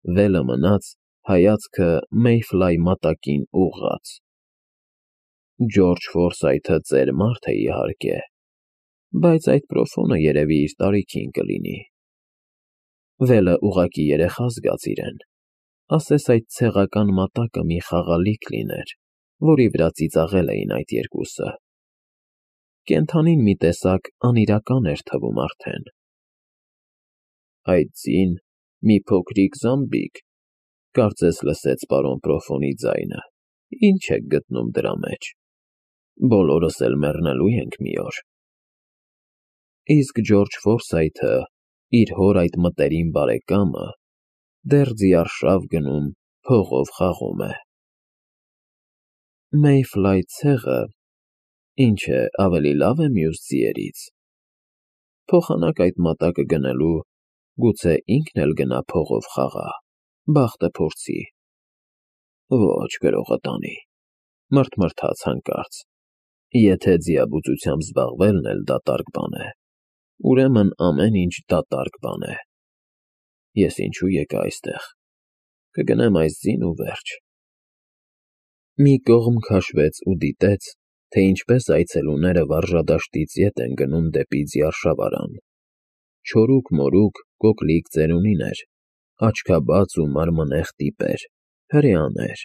վելը մնաց, հայացքը Մեյֆլայ մատակին ուղղած։ Ջորջ Ֆորսայթը ծեր մարդ է, իհարկե, բայց այդ պրոֆոնը երևի իր տարիքին կլինի։ Վելը ուղղակի երեխա զգաց իրեն, ասես այդ ցեղական մատակը մի խաղալիք լիներ, որի վրա ծիծաղել էին այդ երկուսը։ Կենդանին մի տեսակ անիրական էր թվում արդեն։ Այդ ձին, մի փոքրիկ զամբիկ, կարծես լսեց պարոն պրոֆոնի ձայնը, ինչ եք գտնում դրա մեջ, բոլորս էլ մեռնելու ենք մի օր։ Իսկ Ջորջ Ֆորսայթը, իր հոր այդ մտերիմ բարեկամը, դեռ ձիարշավ գնում, փողով խաղում է։ Մեյֆլայ ցեղը, ինչ է, ավելի լավ է մյուս ձիերից։ Փոխանակ այդ մատակը գնելու, գուցե ինքն էլ գնա փողով խաղա, բախտը փորձի։ Ոչ, գրողը տանի, մռթմռթաց հանկարծ, եթե ձիաբուծությամբ զբաղվելն էլ դատարկ բան է, ուրեմն ամեն ինչ դատարկ բան է։ Ես ինչու եկա այստեղ, կգնեմ այս ձին ու վերջ։ Մի կողմ քաշվեց ու դիտեց, թե ինչպես այցելուները վարժադաշտից ետ են գնում դեպի ձիարշավարան։ Չորուկ-մորուկ, կոկլիկ ծերունիներ, աչքաբաց ու մարմնեղ տիպեր, հրեաներ,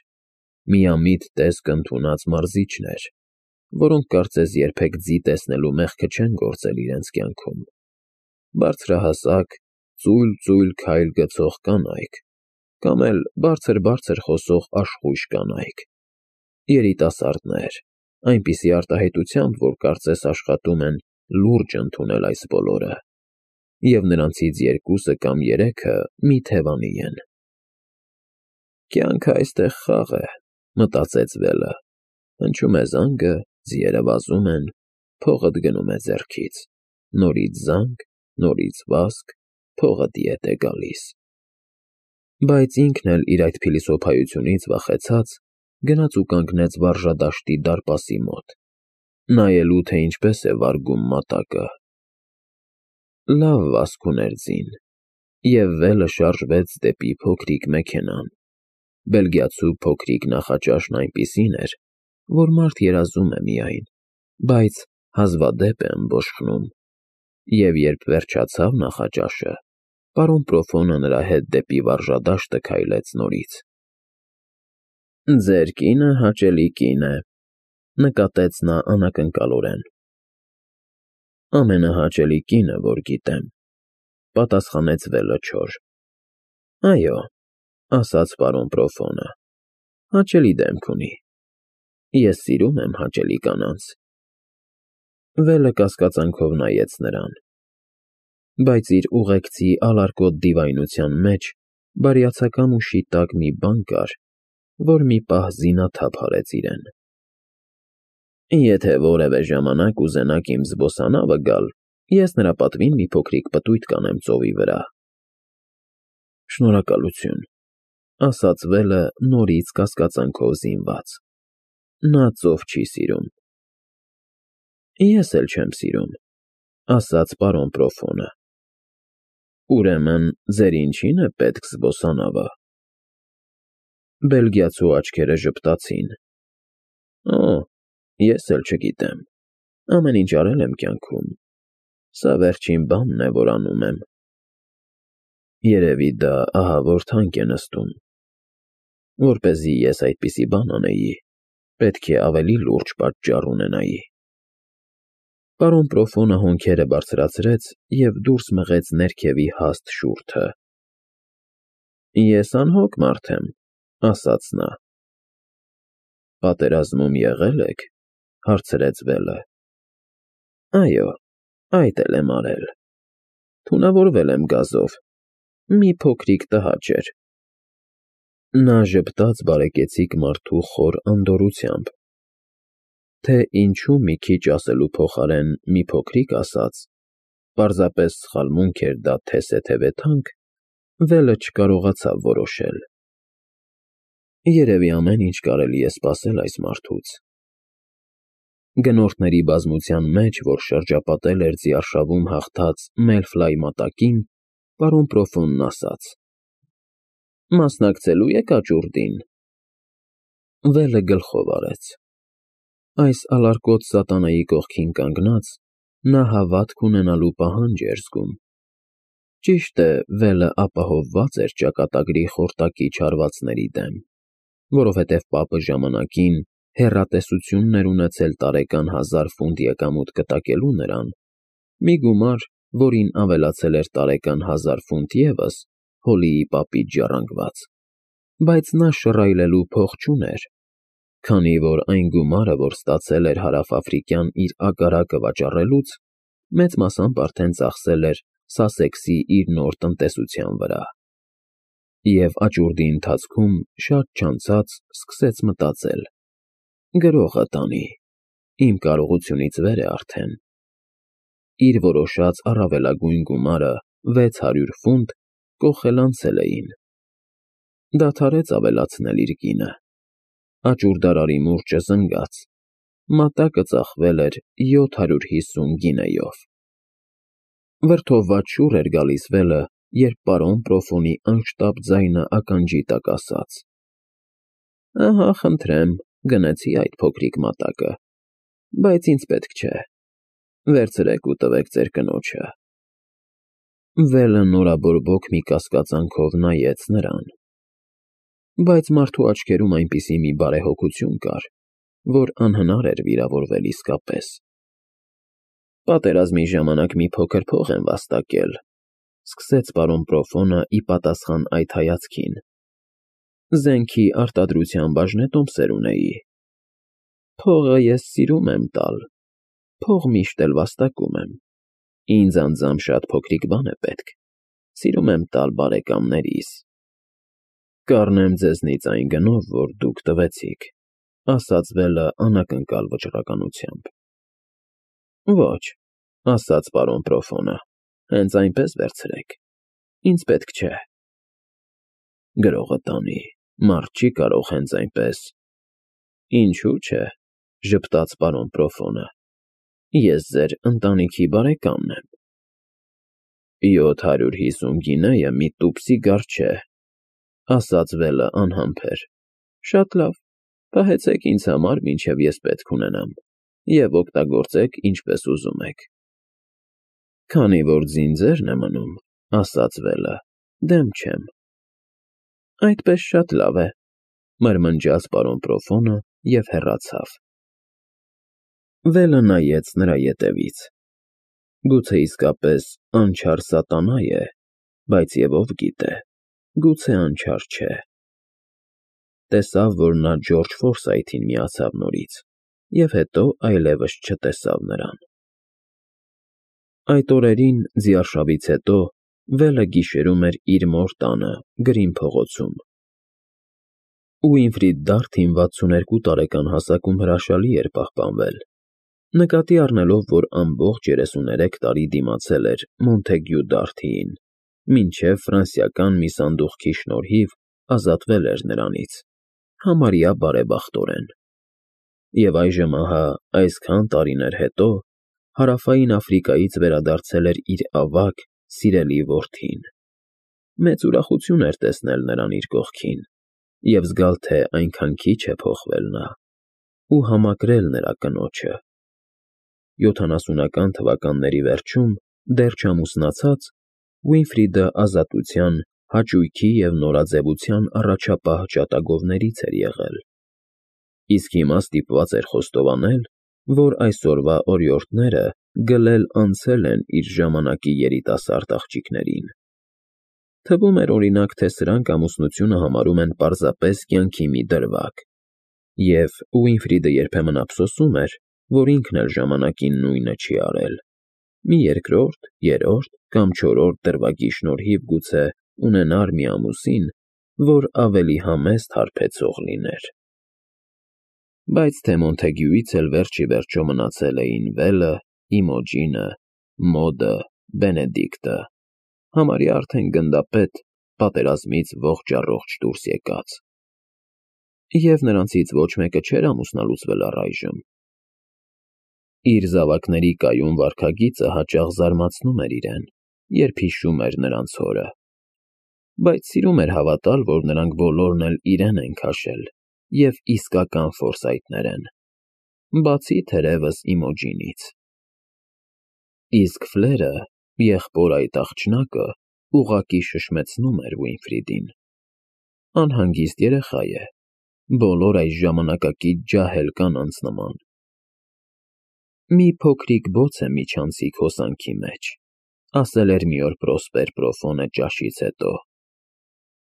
միամիտ տեսք ընդունած մարզիչներ, որոնք կարծես երբեք ձի տեսնելու մեղքը չեն գործել իրենց կյանքում, բարձրահասակ, ծույլ-ծույլ քայլ գցող կանայք, կամ էլ բարձր-բարձր խոսող աշխույժ կանայք, երիտասարդներ, այնպիսի արտահայտությամբ, որ կարծես աշխատում են լուրջ ընդունել այս բոլորը, և նրանցից երկուսը կամ երեքը մի թևանի են։ Կյանքը այստեղ խաղ է, մտածեց Վելը, հնչում է զանգը, ձիերը վազում են, փողդ գնում է ձեռքից, նորից զանգ, նորից վազք, փողդ ետ է գալիս։ Բայց ինքն էլ իր այդ փիլիսոփայությունից վախեցած, գնաց ու կանգնեց վարժադաշտի դարպասի մոտ, նայելու, թե ինչպես է վարգում մատակը։ Լավ վազք ուներ ձին, և Վելը շարժվեց դեպի փոքրիկ մեքենան։ Բելգիացու փոքրիկ նախաճաշն այնպիսին էր, որ մարդ երազում է միայն, բայց հազվադեպ է ըմբոշխնում, և երբ վերջացավ նախաճաշը, պարոն պրոֆոնը նրա հետ դեպի վարժադաշտը քայլեց նորից։ Ձեր կինը հաճելի կին է, նկատեց նա անակնկալորեն։ Ամենահաճելի կինը, որ գիտեմ, պատասխանեց Վելը չոր։ Այո, ասաց պարոն պրոֆոնը, հաճելի դեմք ունի։ Ես սիրում եմ հաճելի կանանց։ Վելը կասկածանքով նայեց նրան, բայց իր ուղեկցի ալարկոտ դիվայնության մեջ բարյացակամ ու շիտակ մի բան կար, որ մի պահ զինաթափ արեց իրեն։ Եթե որևէ ժամանակ ուզենաք իմ զբոսանավը գալ, ես նրա պատվին մի փոքրիկ պտույտ կանեմ ծովի վրա։ Շնորհակալություն, ասաց Վելը նորից կասկածանքով զինված։ Նա ծով չի սիրում։ Ես էլ չեմ սիրում, ասաց պարոն պրոֆոնը։ Ուրեմն ձեր ինչին է պետք զբոսանավը։ Բելգիացու աչքերը ժպտացին։ Օ, ես էլ չգիտեմ, ամեն ինչ արել եմ կյանքում, սա վերջին բանն է, որ անում եմ։ Երևի դա ահավոր թանկ է նստում։ Որպեսզի ես այդպիսի բան անեի, պետք է ավելի լուրջ պատճառ ունենայի։ Պարոն պրոֆոնը հոնքերը բարձրացրեց և դուրս մղեց ներքևի հաստ շուրթը։ Ես անհոգ մարդ եմ, ասաց նա։ Պատերազմում եղել եք, հարցրեց Վելը։ Այո, այդ էլ եմ արել։ Թունավորվել եմ գազով, մի փոքրիկ տհաճ էր։ Նա ժպտաց բարեկեցիկ մարդու խոր անդորրությամբ։ Թե ինչու մի քիչ ասելու փոխարեն մի փոքրիկ ասաց, պարզապես սխալմունք էր դա թե թանկ, Վելը չկարողացավ որոշել։ Երևի ամեն ինչ կարելի է սպասել այս մարդուց։ Գնորդների բազմության մեջ, որ շրջապատել էր ձիարշավում հաղթած Մեյֆլայ մատակին, պարոն պրոֆոնն ասաց. Մասնակցելու եք աճուրդին։ Վելը գլխով արեց։ Այս ալարկոտ սատանայի կողքին կանգնած, նա հավատք ունենալու պահանջ էր զգում։ Ճիշտ է, Վելը ապահովված էր ճակատագրի խորտակի չարվածների դեմ, որովհետև պապը ժամանակին հեռատեսություն էր ունեցել տարեկան 1000 ֆունտ եկամուտ կտակելու նրան, մի գումար, որին ավելացել էր տարեկան 1000 ֆունտ ևս, Հոլիի պապից ժառանգված, բայց նա շռայլելու փող չուներ, քանի որ այն գումարը, որ ստացել էր հարավաֆրիկյան իր ագարակը վաճառելուց, մեծ մասամբ արդեն ծախսել էր Սասեքսի իր նոր տնտեսության վրա։ Եվ աճուրդի ընթացքում շատ չանցած սկսեց մտածել. գրողը տանի, իմ կարողությունից վեր է արդեն։ Իր որոշած առավելագույն գումարը 600 ֆունտ կոխել անցել էին։ Դադարեց ավելացնել իր գինը։ Աճուրդարարի մուրճը զնգաց, մատակը ծախվել էր 750 գինեյով։ Վրդովված շուռ էր գալիս Վելը, երբ պարոն Պրոֆոնի անշտապ ձայնը ականջի տակ ասաց. «Ահա, խնդրեմ, գնեցի այդ փոքրիկ մատակը, բայց ինձ պետք չէ, վերցրեք ու տվեք ձեր կնոջը»։ Վելը նորաբորբոք մի կասկածանքով նայեց նրան, բայց մարդու աչքերում այնպիսի մի բարեհոգություն կար, որ անհնար էր վիրավորվել իսկապես։ Պատերազմի ժամանակ մի փոքր փող եմ վաստակել, սկսեց պարոն Պրոֆոնը ի պատասխան այդ հայացքին։ Զենքի արտադրության բաժնետոմսեր ունեի։ Փողը ես սիրում եմ տալ, փող միշտ էլ վաստակում եմ։ Ինձ անձամբ շատ փոքրիկ բան է պետք, սիրում եմ տալ բարեկամներիս։ Կառնեմ ձեզնից այն գնով, որ դուք տվեցիք, ասաց Վելը անակնկալ վճռականությամբ։ Ոչ, ասաց պարոն Պրոֆոնը, հենց այնպես վերցրեք, ինձ պետք չէ։ Գրողը տանի, մարդ չի կարող հենց այնպես։ Ինչու՞ չէ, ժպտաց պարոն Պրոֆոնը, ես ձեր ընտանիքի բարեկամն եմ։ 750 գինեյը մի տուփսիգար չէ, ասաց Վելը անհամբեր։ Շատ լավ, պահեցեք ինձ համար, մինչև ես պետք ունենամ, և օգտագործեք ինչպես ուզում եք։ Քանի որ ձինձերն է մնում, ասաց Վելը, դեմ չեմ։ Այդպես շատ լավ է, մրմնջաց պարոն Պրոֆոնը և հեռացավ։ Վելը նայեց նրա ետևից։ Գուցե իսկապես անչար սատանա է, բայց և ով գիտե, գուցե անչար չէ։ Տեսավ, որ նա Ջորջ Ֆորսայթին միացավ նորից, և հետո այլևս չտեսավ նրան։ Այդ օրերին, ձիարշավից հետո, Վելը գիշերում էր իր մոր տանը, Գրին փողոցում։ Ուինֆրիդ Դարթին 62 տարեկան հասակում հրաշալի էր պահպանվել, նկատի առնելով, որ ամբողջ 33 տարի դիմացել էր Մոնթեգյու Դարթիին, մինչև ֆրանսիական մի սանդուղքի շնորհիվ ազատվել էր նրանից, համարյա բարեբախտորեն։ Եվ այժմ ահա այսքան տարիներ հետո Հարավային Աֆրիկայից վերադարձել էր իր ավագ, սիրելի որդին։ Մեծ ուրախություն էր տեսնել նրան իր կողքին և զգալ, թե այնքան քիչ է փոխվել նա, ու համակրել նրա կնոջը։ 70-ական թվականների վերջում, դեռ չամուսնացած, Ուինֆրիդը ազատության, հաճույքի և նորաձևության առաջապահ ջատագովներից էր եղել։ Իսկ հիմա ստիպված էր խոստովանել, որ այսօրվա օրիորդները գլել անցել են իր ժամանակի երիտասարդ աղջիկներին։ Թվում էր, օրինակ, թե սրանք ամուսնությունը համարում են պարզապես կյանքի մի դրվագ, և Ուինֆրիդը երբեմն ափսոսում էր, որ ինքն էլ ժամանակին նույնը չի արել։ Մի երկրորդ, երրորդ կամ չորրորդ դրվագի շնորհիվ գուցե ունենար մի ամուսին, որ ավելի համեստ հարբեցող լիներ։ Բայց թե Մոնթեգյուից էլ վերջ ի վերջո մնացել էին Վելը, Իմոջինը, Մոդը, Բենեդիկտը, համարյա արդեն գնդապետ, պատերազմից ողջ֊առողջ դուրս եկած։ Եվ նրանցից ոչ մեկը չէր ամուսնալուծվել առայժմ։ Իր զավակների կայուն վարքագիծը հաճախ զարմացնում էր իրեն, երբ հիշում էր նրանց հորը։ բայց սիրում էր հավատալ, որ նրանք բոլորն էլ իրեն են քաշել և իսկական ֆորսայթներ են, բացի թերևս Իմոջինից։ Իսկ Ֆլերը, եղբոր այդ աղջնակը, ուղղակի շշմեցնում էր Ուինֆրիդին. անհանգիստ երեխա է, բոլոր այս ժամանակակից ջահել կանանց նման։ Մի փոքրիկ բոց է միջանցիկ հոսանքի մեջ, ասել էր մի օր Պրոսպեր Պրոֆոնը ճաշից հետո,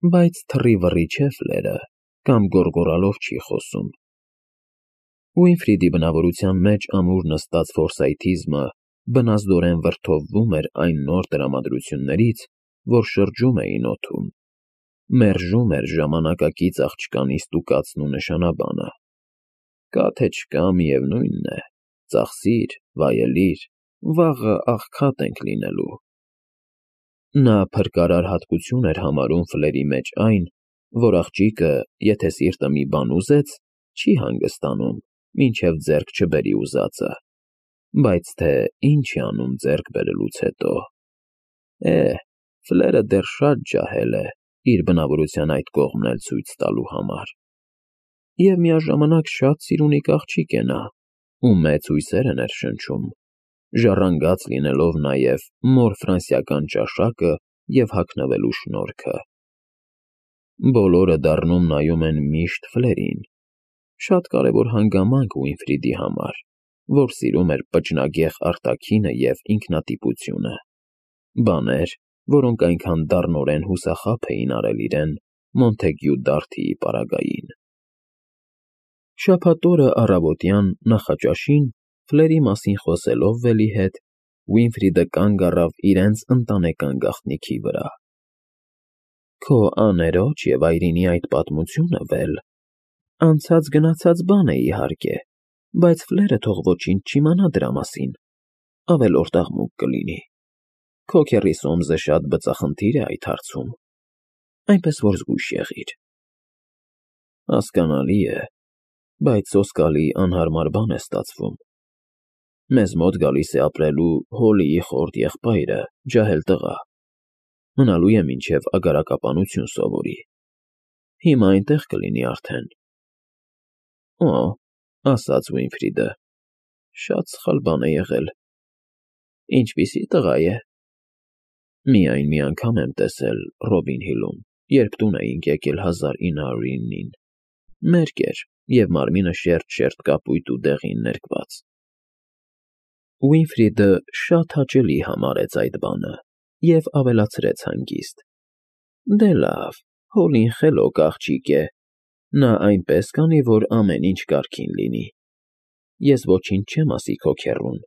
բայց թռիվռի չէ Ֆլերը, կամ գոռգոռալով չի խոսում։ Ուինֆրիդի բնավորության մեջ ամուր նստած ֆորսայթիզմը բնազդորեն վրդովվում էր այն նոր տրամադրություններից, որ շրջում էին օդում, մերժում էր ժամանակակից աղջկանի ստուգածն ու նշանաբանը։ Կա թե չկա, միևնույն է, ծախսիր, վայելիր, վաղը աղքատ ենք լինելու։ Նա փրկարար հատկություն էր համարում Ֆլերի մեջ այն, որ աղջիկը, եթե սիրտը մի բան ուզեց, չի հանգստանում, մինչև ձեռք չբերի ուզածը, բայց թե ինչ է անում ձեռք բերելուց հետո… Ֆլերը դեռ շատ ջահել է իր բնավորության այդ կողմն էլ ցույց տալու համար։ Եվ միաժամանակ շատ սիրունիկ աղջիկ է նա, ում մեծ հույսեր է ներշնչում, ժառանգած լինելով նաև մոր ֆրանսիական ճաշակը և հագնվելու շնորհքը։ Բոլորը դառնում նայում են միշտ Ֆլերին, շատ կարևոր հանգամանք Ուինֆրիդի համար, որ սիրում էր պճնագեղ արտաքինը և ինքնատիպությունը, բաներ, որոնք այնքան դառնորեն հուսախաբ էին արել իրեն Մոնթեգյու Դարթիի պարագային։ Շաբաթ օրը առավոտյան նախաճաշին, Ֆլերի մասին խոսելով Վելի հետ, Ուինֆրիդը կանգ առավ իրենց ընտանեկան գաղտնիքի վրա։ Քո աներոջ և այրինի այդ պատմությունը, Վել, անցած֊գնացած բան է, իհարկե, բայց Ֆլերը թող ոչինչ չիմանա դրա մասին, ավելորդ աղմուկ կլինի։ Քո քեռի Սոմսը շատ բծախնդիր է այդ հարցում, այնպես որ զգույշ եղիր։ Հասկանալի է, բայց սոսկալի անհարմար բան է ստացվում։ Մեզ մոտ գալիս է ապրելու Հոլիի խորտ եղբայրը, ջահել տղա, մնալու է մինչևագարակապանություն սովորի, հիմա այնտեղ կլինի արդեն։ Օ, ասաց Ուինֆրիդը, շատ սխալ բան է եղել։ Ինչպիսի տղա է։ Միայն մի անգամ եմ տեսել Ռոբին Հիլում, երբ տուն էինք եկել 1909-ին, մերկ էր և մարմինը շերտ կապույտ ու դեղին ներկված։ Ուինֆրիդը շատ հաճելի համարեց այդ բանը և ավելացրեց հանգիստ. Դե լավ, Հոլին խելոք աղջիկ է, նա այնպես կանի, որ ամեն ինչ կարգին լինի։ Ես ոչինչ չեմ ասի քո քեռուն,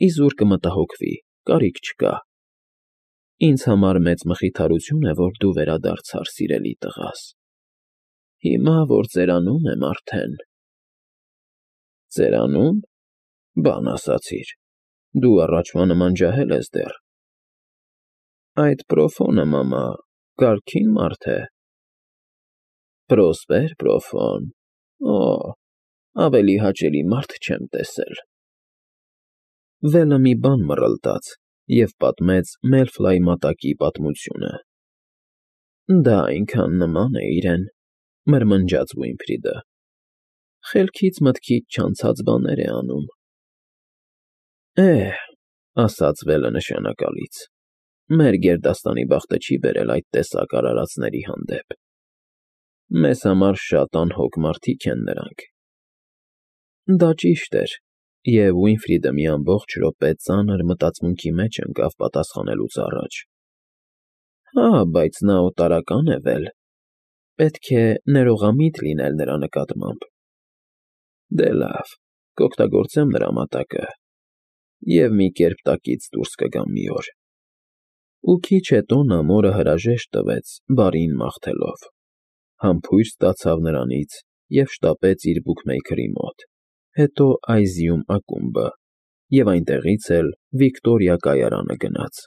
իզուր կմտահոգվի, կարիք չկա։ Ինձ համար մեծ մխիթարություն է, որ դու վերադարձար, սիրելի տղաս։ Հիմա, որ ծերանում եմ արդեն… Ծերանում… Բան ասացիր, դու առաջվա նման ջահել ես դեռ։ Այդ Պրոֆոնը, մամա, կարգին մարդ է։ Պրոսպեր Պրոֆոն… Օ, ավելի հաճելի մարդ չեմ տեսել։ Վելը մի բան մռլտաց և պատմեց Մելֆլայի մատակի պատմությունը։ Դա այնքան նման է իրեն, մրմնջաց Ուինֆրիդը, խելքից մտքից չանցած բաներ է անում։ Ասաց Վելը նշանակալից, մեր գերդաստանի բախտը չի բերել այդ տեսակ արարածների հանդեպ։ Մեզ համար շատ անհոգ մարդիկ են նրանք։ Դա ճիշտ էր, և Ուինֆրիդը մի ամբողջ րոպե ծանր մտածմունքի մեջ ընկավ պատասխանելուց առաջ։ Հա, բայց նա օտարական է, Վել, պետք է ներողամիտ լինել նրա նկատմամբ։ Դե լավ, կօգտագործեմ նրա մատակը և մի կերպ տակից դուրս կգամ մի օր։ Ու քիչ հետո նա մորը հրաժեշտ տվեց բարին մաղթելով, համբույր ստացավ նրանից և շտապեց իր բուքմեյքերի մոտ, հետո Այզիում ակումբը և այնտեղից էլ Վիկտորիա կայարանը գնաց։